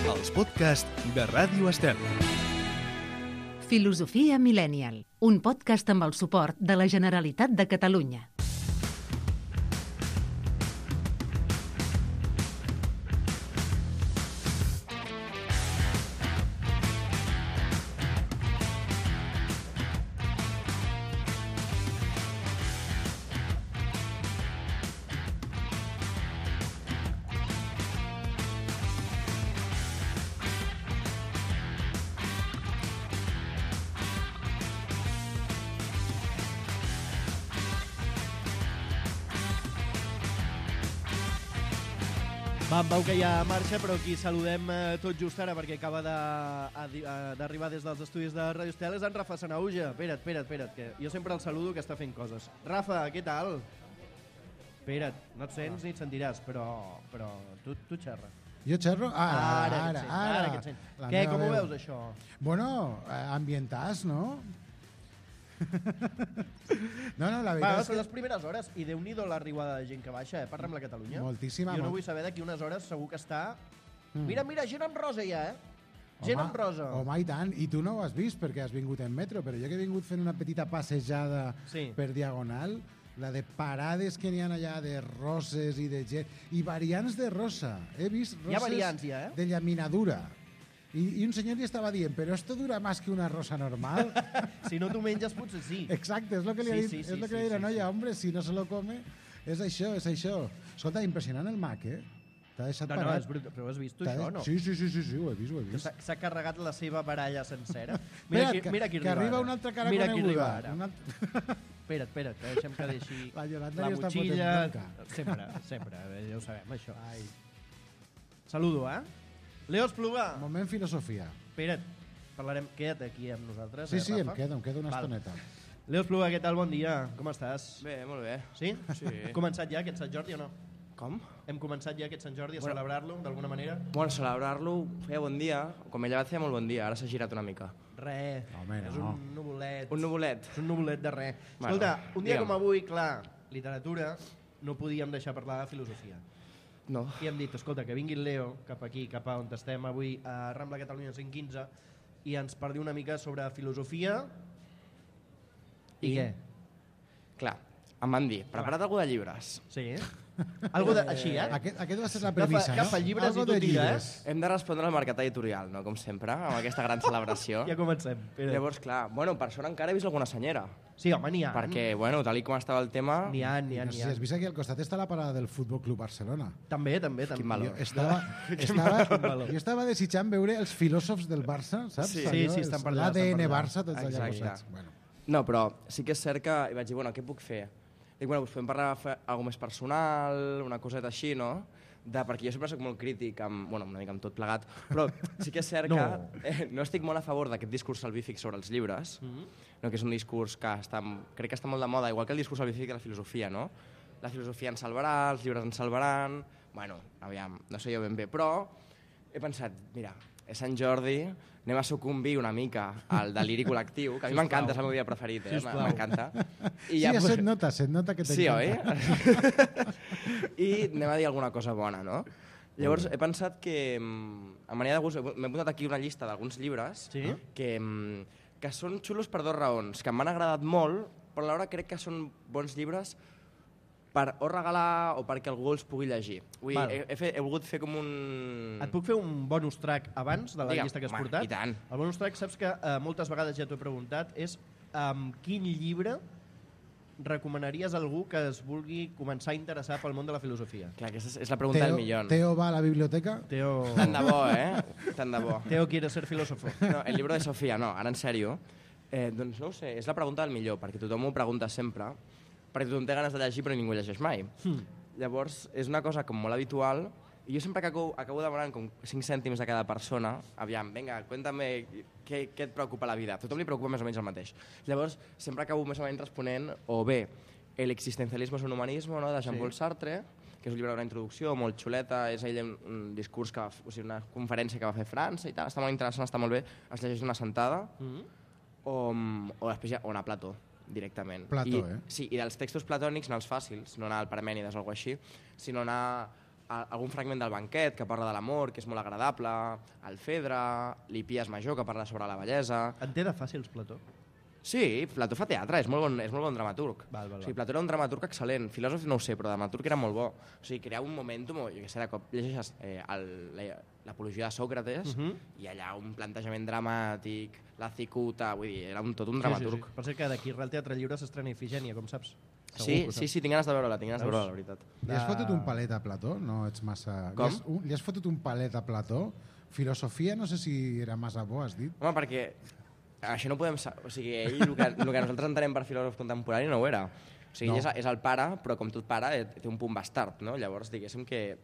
els podcasts de Ràdio Estel. Filosofia Millennial, un podcast amb el suport de la Generalitat de Catalunya. Va, en Pau, que ja marxa, però aquí saludem tot just ara perquè acaba d'arribar des dels estudis de Ràdio Estel, és en Rafa Sanauja. Espera't, que jo sempre el saludo que està fent coses. Rafa, què tal? Espera't, no et sents ni et sentiràs, però tu xerra. Jo xerro? Ara. Que et sents. Què, com ho veus, això? Bueno, ambientàs, no? No, la veritat és són que... les primeres hores i Déu-n'hi-do l'arribada de gent que baixa, per Rambla Catalunya. Moltíssima. Jo no vull saber d'aquí unes hores segur que està... Mira, gent en rosa ja, Gent en rosa. Home, i tant. I tu no ho has vist perquè has vingut en metro, però jo que he vingut fent una petita passejada per Diagonal, la de parades que n'hi ha allà de roses i de gent... I variants de rosa. He vist roses variants, de llaminadura. I un senyor li estava dient, però esto dura más que una rosa normal. Si no t'ho menges, potser sí. Exacte, és el que li ha dit, és el que li ha dit la noia, hombre, si no se lo come, és això. Escolta, impressionant el Mac, T'ha deixat parat. No, és brutal, però has vist tu això, no? Sí, ho he vist. S'ha carregat la seva baralla sencera. Mira qui que arriba una altra cara coneguda. Espera't, que deixem que deixi la motxilla. Sempre, ja ho sabem, això. Saludo, Leo Espluga. Moment filosofia. Espera't, queda't aquí amb nosaltres. Sí, em Rafa? quedo una estoneta. Leo Espluga, què tal? Bon dia. Com estàs? Bé, molt bé. Sí? Hem començat ja aquest Sant Jordi o no? Com? Hem començat ja aquest Sant Jordi a celebrar-lo d'alguna manera? Bueno, celebrar-lo feia bon dia. Com he llevat feia molt bon dia, ara s'ha girat una mica. Res, és un nuvolet. Un nuvolet? És un nuvolet de res. Escolta, un dia com avui, clar, literatura, no podíem deixar parlar de filosofia. No. I hem dit, escolta, que vingui el Leo cap aquí, cap a on estem avui, a Rambla Catalunya 115, i ens parli una mica sobre filosofia. I què? Clar, em van dir, prepara't algú de llibres. Sí, Algo així, Aquest va ser la premissa, no? Agafa llibres i tu tira, Hem de respondre al mercat editorial, no? Com sempre, amb aquesta gran celebració. Ja comencem. Llavors, clar, per sort encara he vist alguna senyera. Sí, home, n'hi ha. Perquè, tal com estava el tema... N'hi ha. Si has vist aquí al costat està la parada del Futbol Club Barcelona. També. Quin valor. Jo estava desitjant veure els filòsofs del Barça, saps? Sí, estan per allà. L'ADN Barça, tots allà posats. No, però sí que és cert que vaig dir, què puc fer? Dic, podem parlar de alguna més personal, una coseta així, no? Perquè jo sempre soc molt crític, una mica amb tot plegat, però sí que és cert que no estic molt a favor d'aquest discurs salvífic sobre els llibres, que és un discurs que crec que està molt de moda, igual que el discurs salvífic de la filosofia, no? La filosofia ens salvarà, els llibres ens salvaran... Aviam, no sé jo ben bé, però he pensat, mira, és Sant Jordi, anem a sucumbir una mica al deliri col·lectiu, que a mi m'encanta, és el meu dia preferit, m'encanta. Sí, set nota que t'encanta. Sí, oi? I anem a dir alguna cosa bona, no? Llavors he pensat que, a manera de gust, m'he apuntat aquí una llista d'alguns llibres que són xulos per dues raons, que m'han agradat molt, però alhora crec que són bons llibres per o regalar o perquè algú els pugui llegir. He volgut fer com un... Et puc fer un bonus track abans de la llista que has portat? I tant. El bonus track, saps que moltes vegades ja t'ho he preguntat, és quin llibre recomanaries a algú que es vulgui començar a interessar pel món de la filosofia? Clar, aquesta és la pregunta del millón. Teo va a la biblioteca? Tant de bo, Tant de bo. Teo quiere ser filósofo. No, el libro de Sofía, no, ara en sèrio. Doncs no ho sé, és la pregunta del millor, perquè tothom ho pregunta sempre, perquè tothom té ganes de llegir però ningú llegeix mai. Llavors, és una cosa com molt habitual i jo sempre que acabo demanant com 5 cèntims a cada persona, aviam, vinga, cuéntame què et preocupa la vida. A tothom li preocupa més o menys el mateix. Llavors, sempre acabo més o menys responent o bé El existencialismo es un humanismo, no?, de Jean-Paul Sartre, que és un llibre d'una introducció molt xuleta, és ell un discurs, una conferència que va fer a França i tal, està molt interessant, està molt bé, es llegeix d'una sentada, o després hi ha una Plató, directament. Plató, Sí, i dels textos platònics no els fàcils, no anar al Parmènides o alguna així, sinó anar algun fragment del Banquet que parla de l'amor, que és molt agradable, el Fedre, l'Hipies Major, que parla sobre la bellesa. En té de fàcils, Plató? Sí, Plató fa teatre, és molt bon dramaturg. Val. O sigui, Plató era un dramaturg excel·lent, filòsof no ho sé, però dramaturg era molt bo. O sigui, creava un momentum, jo què sé, de cop llegeixes l'apologia de Sòcrates i allà un plantejament dramàtic, la cicuta, vull dir, era tot un dramaturg. Sí. Per cert que d'aquí al Teatre Lliure s'estrena Ifigènia, com saps? Sí, tinc ganes de veure-la, la veritat. Li has fotut un palet a Plató? No ets massa... Com? Li has fotut un palet a Plató? Filosofia, no sé si era massa bo, has dit? Home, perquè això no podem... O sigui, ell, el que nosaltres entenem per filòsof contemporani no ho era. O sigui, ell és el pare, però com tot pare té un punt bastard, no? Llavors, diguéssim que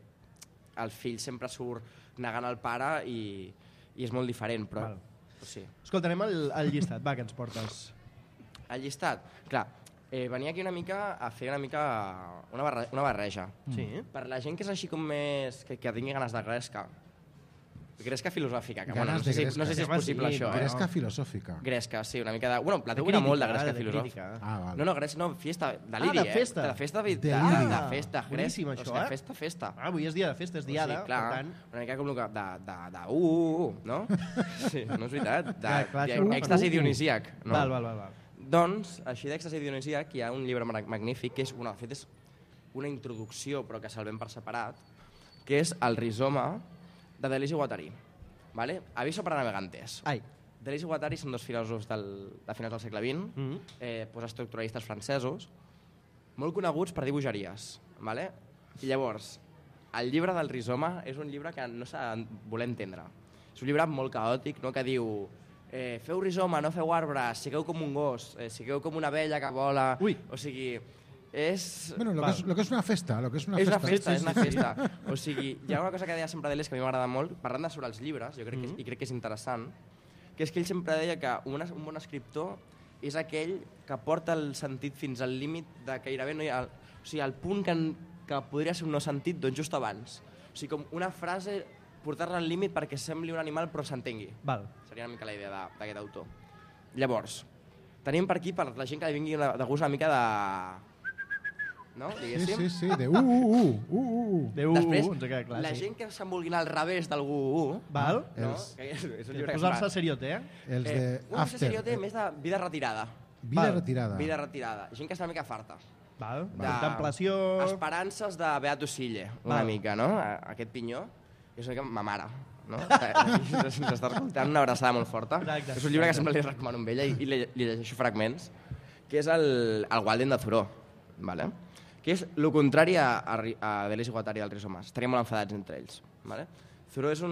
el fill sempre surt negant el pare i és molt diferent, però... Sí. Escolta, anem al llistat, va, que ens portes. El llistat? Clar, venia aquí una mica a fer una barreja. Sí. Per la gent que és així com més... que tingui ganes de gresca. Gresca filosòfica, que Ganes bueno, de gresca. no sé si és possible això. Gresca filosòfica. Gresca, sí, una mica de... Bueno, Plató era molt de gresca filosòfica. Vale. No, gresca, no, fiesta, deliri, de festa. De festa, Deliri. festa, Boníssim, això, Festa. Avui és dia de festa, és diada, sí, clar, per tant... una mica com el que... no? Sí, no és veritat. Clar, Èxtasi dionisíac. No? Val. Doncs, així d'èxtasi dionisíac, hi ha un llibre magnífic que és, de fet, és una introducció, però que salvem per separat, que és El rizoma, de Deleuze i Guattari. Vale? Aviso para navegantes. Ai. Deleuze i Guattari són dos filòsofs de finals del segle XX, postestructuralistes francesos, molt coneguts per dir bogeries. Vale? I llavors, el llibre del rizoma és un llibre que no s'ha de voler entendre. És un llibre molt caòtic, no? Que diu feu rizoma, no feu arbre, sigueu com un gos, sigueu com una abella que vola... Ui. O sigui, és... Bueno, lo que és una festa. És una festa. O sigui, hi ha una cosa que deia sempre Deleuze que a mi m'agrada molt, parlant sobre els llibres, jo crec que és interessant, que és que ell sempre deia que un bon escriptor és aquell que porta el sentit fins al límit de gairebé no hi ha... O sigui, el punt que podria ser un no sentit, doncs just abans. O sigui, com una frase, portar-la al límit perquè sembli un animal però s'entengui. Seria una mica la idea d'aquest autor. Llavors, tenim per aquí, per la gent que li vingui de gust una mica de... No? Diguéssim. Sí, de Després, ens ha quedat clar, la sí. gent que se'n vulgui anar al revés del Val? No? És un llibre que posar-se seriote, Els de After. Seriote més de vida retirada. Vida retirada. Vida retirada. Gent que està una mica farta. Val. Contemplació... Esperances de Beato Sille, una mica, no? Aquest pinyó. És una mica ma mare, no? S'està escoltant una abraçada molt forta. Exacte. És un llibre que sempre li recomano amb ella i li llegeixo fragments, que és el Walden de Thoreau, vale? Que és el contrari a Deleuze i Guattari del rizoma. Estaríem molt enfadats entre ells. Vale? Thoreau és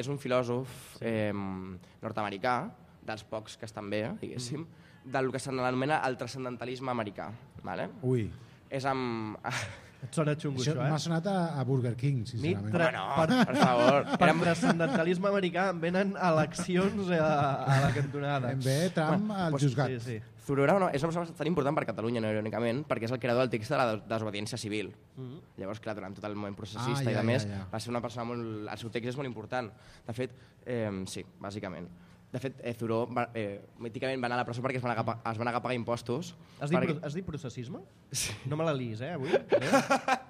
un filòsof nord-americà, dels pocs que estan bé, diguéssim, del que s'anomena el transcendentalisme americà. Vale? Ui. És amb... Et sona xungo, això, M'ha sonat a Burger King, sincerament. Per favor. Per transcendentalisme americà em venen eleccions a la cantonada. Em ve Trump al juzgat. Sí. Thoreau és una persona tan important per Catalunya, no irònicament, perquè és el creador del text de la desobediència civil. Llavors, clar, durant tot el moment processista i de més, va ser una persona molt... El seu text és molt important. De fet, sí, bàsicament. De fet, Thoreau míticament va anar a la presó perquè es van anar a pagar impostos. Has dit processisme? Sí. No me la liis, avui?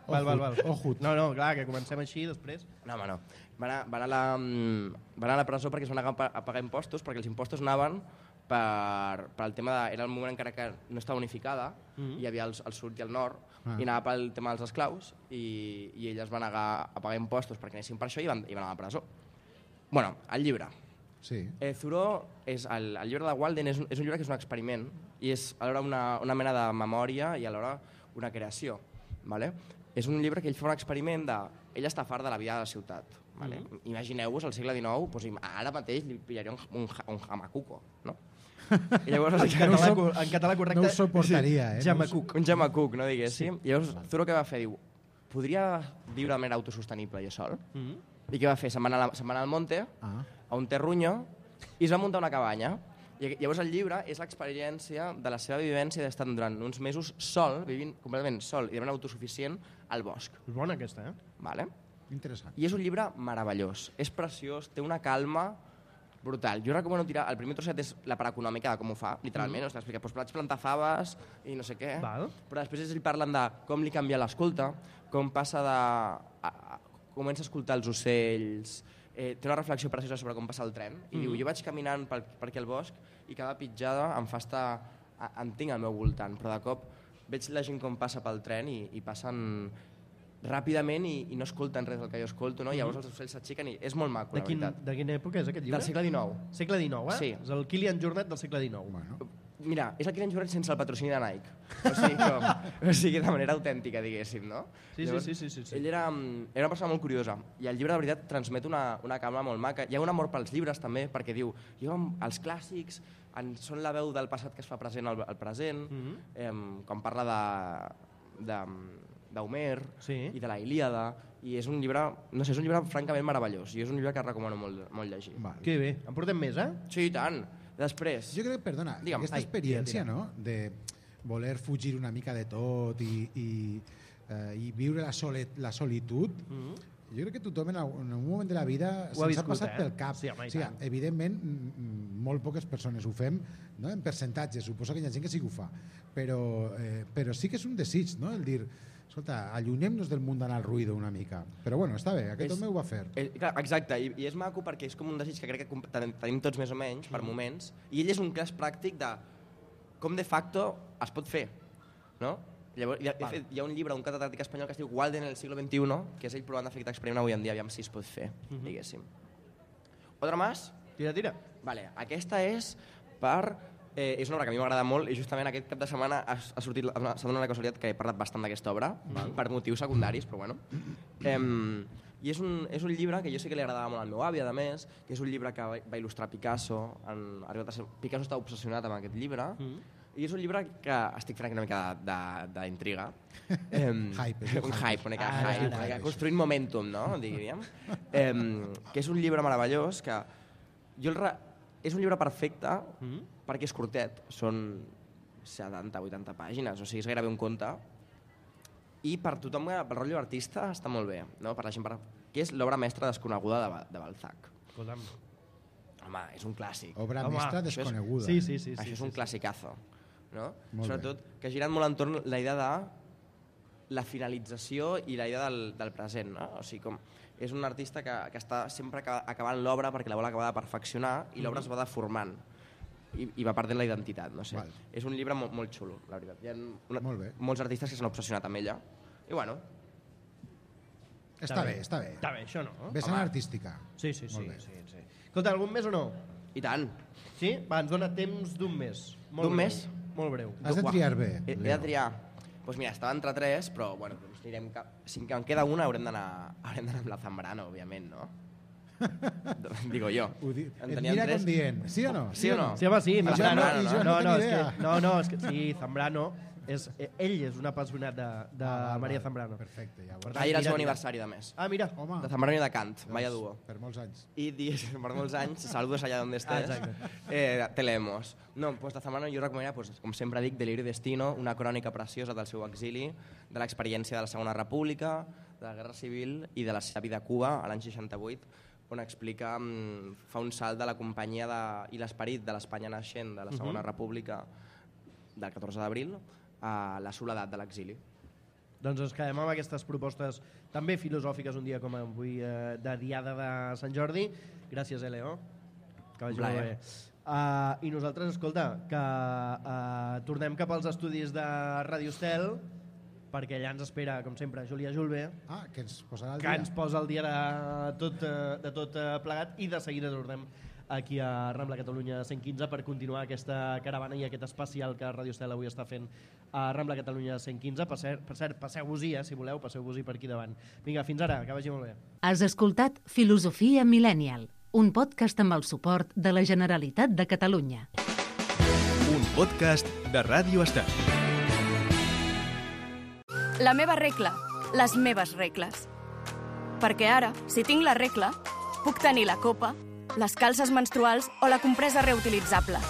Val. Ojut. No, clar, que comencem així després. No, home, no. Van anar a la presó perquè es van anar a pagar impostos, perquè els impostos anaven per el tema de... Era el moment encara que no estava unificada, hi havia el sud i el nord, i anava pel tema dels esclaus, i ell es va negar a pagar impostos perquè anessin per això i van anar a la presó. Bueno, el llibre. Sí. Thoreau, el llibre de Walden és un llibre que és un experiment i és alhora una mena de memòria i alhora una creació. Vale? És un llibre que ell fa un experiment de... Ell està fart de la vida de la ciutat. Vale? Imagineu-vos, al segle XIX, doncs, ara mateix li pillaria un jamacuco, no? I llavors, en català correcte... No ho suportaria, Jamacuc. Un jamacuc, no diguéssim. I llavors Thoreau què va fer? Diu, podria viure de manera autosostenible jo sol? I què va fer? Se'n va anar al monte, a un terruño, i es va muntar una cabanya. I llavors el llibre és l'experiència de la seva vivència d'estar durant uns mesos sol, vivint completament sol i de manera autosuficient al bosc. És bona aquesta, Vale? Interessant. I és un llibre meravellós. És preciós, té una calma brutal. Jo recomano tirar... El primer trosset és la part econòmica de com ho fa, literalment. O sigui, explica, doncs vaig plantar faves i no sé què. Val. Però després ells parlen de com li canvia l'escolta, com passa de... comença a escoltar els ocells, té una reflexió preciosa sobre com passa el tren, i diu, jo vaig caminant per aquí al bosc i cada pitjada em fa estar... em tinc al meu voltant, però de cop veig la gent com passa pel tren i passen ràpidament i no escolten res del que jo escolto, no? Llavors els ocells s'aixequen i és molt maco, la veritat. De quina època és aquest llibre? Del segle XIX. Segle XIX, Sí. És el Kilian Jornet del segle XIX. Bueno, Mira, és el Kilian Jornet sense el patrocini de Nike. O sigui, de manera autèntica, diguéssim, no? Sí. Ell era una persona molt curiosa i el llibre, de veritat, transmet una calma molt maca. Hi ha un amor pels llibres, també, perquè diu, els clàssics són la veu del passat que es fa present al present, quan parla d'Homer i de la Ilíada, i és un llibre, no sé, és un llibre francament meravellós, i és un llibre que recomano molt llegir. Que bé, en portem més, eh? Sí, i tant. Després... jo crec, perdona, aquesta experiència, no?, de voler fugir una mica de tot i viure la solitud, jo crec que tothom en un moment de la vida se'ns ha passat pel cap. Sí, home, o sigui, evidentment, molt poques persones ho fem, no? En percentatge, suposo que hi ha gent que sí que ho fa, però sí que és un desig, no?, el dir, escolta, allunyem-nos del món d'anar al ruïdo una mica. Però bueno, està bé, aquest home ho va fer. Exacte, i és maco perquè és com un desig que crec que tenim tots més o menys, per moments, i ell és un cas pràctic de com de facto es pot fer, no? Llavors, hi ha un llibre d'un catedràtic espanyol que es diu Walden en el siglo XXI, que és ell provant de fer aquest experiment avui en dia, aviam si es pot fer, diguéssim. Otra más? Tira. Vale, aquesta és per... és una obra que a mi m'agrada molt i justament aquest cap de setmana s'ha donat la casualitat que he parlat bastant d'aquesta obra, per motius secundaris, però bueno. I és un llibre que jo sé que li agradava molt al meu avi, a més, que és un llibre que va il·lustrar Picasso. Picasso està obsessionat amb aquest llibre, i és un llibre que estic fent una mica d'intriga. Hype. Un hype, una mica hype. Construint momentum, no? Diríem. Que és un llibre meravellós que... És un llibre perfecte perquè és curtet, són 70-80 pàgines, o sigui, és gairebé un conte, i per tothom, pel rotllo artista, està molt bé, no? Per la gent, que és l'obra mestra desconeguda de Balzac. Escolta'm. Home, és un clàssic. Obra mestra desconeguda. Sí. Això és un classicazo, no? Molt sobretot que ha girat molt entorn la idea de la finalització i la idea del present, no? O sigui, com és un artista que està sempre acabant l'obra perquè la vol acabar de perfeccionar i l'obra es va deformant i va perdent la identitat, no sé. Val. És un llibre molt xulo, la veritat. Hi ha molts artistes que s'han obsessionat amb ella i bueno... Està bé. Està bé, això no? Vessant artística. Sí. Escolta, algun més o no? I tant. Sí? Va, ens dona temps d'un mes. D'un mes? Molt breu. Has de triar bé. He de triar. Doncs mira, estava entre 3, però bueno, anirem si en queda una haurem d'anar amb la Zambrano, òbviament, no? Digo jo. Et mira com dient, sí o no? Sí o no? Sí, home, sí. Zambrano, És que sí, Zambrano, ell és un apassionat de Maria Zambrano. Perfecte, llavors. Ahir era el seu aniversari, de més. Ah, mira. Home. De Zambrano i de Kant, vaya duo. Per molts anys. Y per molts anys, saludos allá donde estés, te leemos. No, pues de Zambrano jo recomanaria, pues, com sempre dic, Deliri Destino, una crònica preciosa del seu exili, de l'experiència de la Segona República, de la Guerra Civil i de la seva vida a Cuba, a l'any 68, on explica, fa un salt de la companyia i l'esperit de l'Espanya naixent de la Segona República del 14 d'abril a la soledat de l'exili. Doncs ens quedem amb aquestes propostes també filosòfiques un dia com avui de Diada de Sant Jordi. Gràcies, Leo. Que vagi molt bé. I nosaltres, escolta, que tornem cap als estudis de Ràdio Estel, perquè allà ens espera, com sempre, Júlia Julve, que ens posarà al dia. Que ens posa al dia de tot plegat, i de seguida tornem aquí a Rambla Catalunya 115 per continuar aquesta caravana i aquest especial que Ràdio Estel avui està fent a Rambla Catalunya 115. Per cert, passeu-vos-hi, si voleu, passeu-vos-hi per aquí davant. Vinga, fins ara, que vagi molt bé. Has escoltat Filosofia Millennial, un podcast amb el suport de la Generalitat de Catalunya. Un podcast de Ràdio Estel. La meva regla, les meves regles. Perquè ara, si tinc la regla, puc tenir la copa, les calces menstruals o la compresa reutilitzable,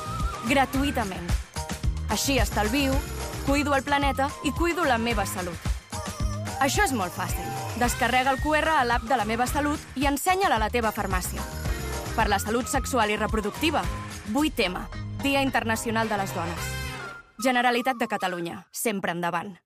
gratuïtament. Així estalvio, cuido el planeta i cuido la meva salut. Això és molt fàcil. Descarrega el QR a l'app de La Meva Salut i ensenya-la a la teva farmàcia. Per la salut sexual i reproductiva, 8M, Dia Internacional de les Dones. Generalitat de Catalunya, sempre endavant.